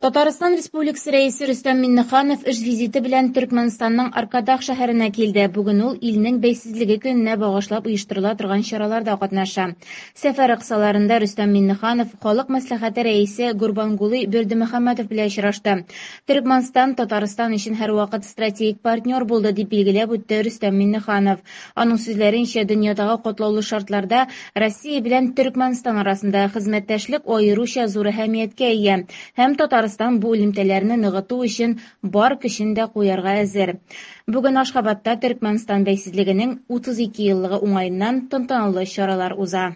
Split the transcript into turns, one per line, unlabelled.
Татарстан Республикасы Рәисе Рөстәм Миңнеханов эш визиты белән Төркмәнстанның Аркадак шәһәренә килде. Бүген ул илнең бәйсезлеге көненә багышлап оештырыла торган чараларда катнаша. Сәфәре кысаларында Рөстәм Миңнеханов Халык Мәслихәте Рәисе Гурбангулы Бердымөхәммәдов белән очрашты. Төркмәнстан Татарстан өчен һәрвакыт стратегик партнер булды, дип билгеләп үтте Рөстәм Миңнеханов. Аның сүзләренчә, дөньядагы катлаулы шартларда Россия белән Төркмәнстан арасындагы хезмәттәшлек аеруча зур әһәмияткә ия һәм Татарстан бу элемтәләрне ныгыту өчен бар көчен дә куярга әзер. Бүген Ашхабадта Төркмәнстан бәйсезлегенең 32 еллыгы уңаеннан тантаналы чаралар уза.